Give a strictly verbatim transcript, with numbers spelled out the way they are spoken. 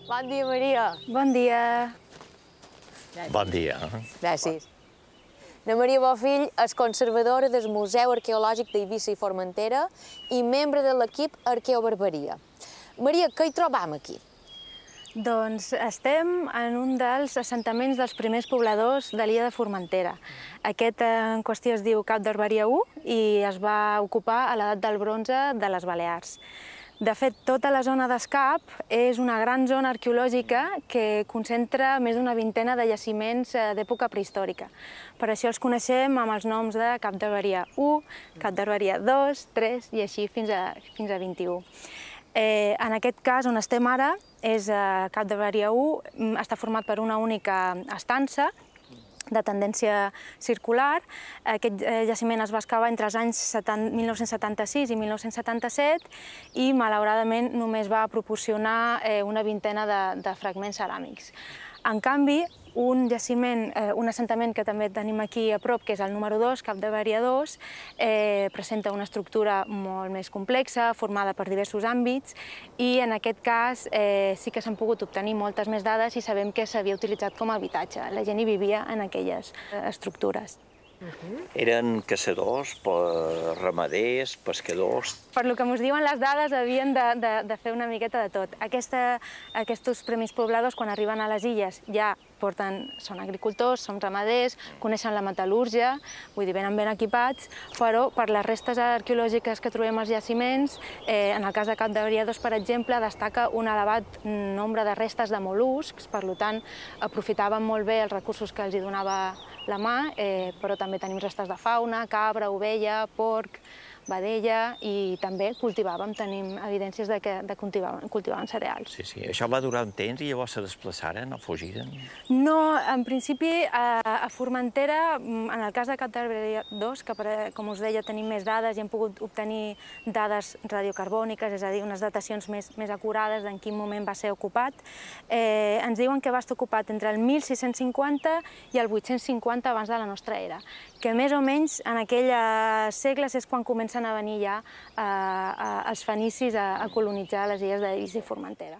Bon dia, Maria. Bon dia. Bon dia. Gràcies. La Maria Bofill és conservadora del Museu Arqueològic d'Eivissa i Formentera i membre de l'equip Arqueobarberia. Maria, què hi trobam aquí? Doncs estem en un dels assentaments dels primers pobladors de l'illa de Formentera. Aquest en qüestió es diu Cap d'Herberia u i es va ocupar a l'edat del bronze de les Balears. De fet, tota la zona d'Escap és una gran zona arqueològica que concentra més d'una vintena de jaciments d'època prehistòrica. Per això els coneixem amb els noms de Cap d'Herberia u, Cap d'Herberia dos, tres i així fins a, fins a vint-i-u. Eh, en aquest cas, on estem ara, és eh, Cap d'Herberia u, està format per una única estança de tendència circular. Aquest jaciment es va excavar entre els anys mil nou-cents setanta-sis i mil nou-cents setanta-set i, malauradament, només va proporcionar una vintena de, de fragments ceràmics. En canvi, un jaciment, un assentament que també tenim aquí a prop, que és el número dos, Cap d'Herberia dos, eh, presenta una estructura molt més complexa, formada per diversos àmbits, i en aquest cas eh, sí que s'han pogut obtenir moltes més dades i sabem que s'havia utilitzat com a habitatge. La gent hi vivia en aquelles estructures. Eren caçadors, ramaders, pescadors... Per lo que ens diuen les dades, havien de, de, de fer una miqueta de tot. Aquesta, aquests primers pobladors, quan arriben a les illes, ja porten, són agricultors, són ramaders, coneixen la metal·lúrgia, vull dir, venen ben equipats, però per les restes arqueològiques que trobem als jaciments, eh, en el cas de Cap d'Herberia dos, per exemple, destaca un elevat nombre de restes de mol·luscs, per tant, aprofitaven molt bé els recursos que els hi donava la mà, eh, però també tenim restes de fauna, cabra, ovella, porc, vedella, i també cultivàvem, tenim evidències de que de cultivaven, cultivaven cereals. Sí, sí. Això va durar un temps i llavors se desplaçaren o fugiren? No, en principi, a, a Formentera, en el cas de Cap d'Herberia dos, que com us deia tenim més dades i hem pogut obtenir dades radiocarbòniques, és a dir, unes datacions més, més acurades d'en quin moment va ser ocupat, eh, ens diuen que va estar ocupat entre el mil sis-cents cinquanta i el vuit-cents cinquanta abans de la nostra era, que més o menys en aquells segles és quan comencen a venir ja eh, els fenicis a, a colonitzar les illes d'Eivissa i Formentera.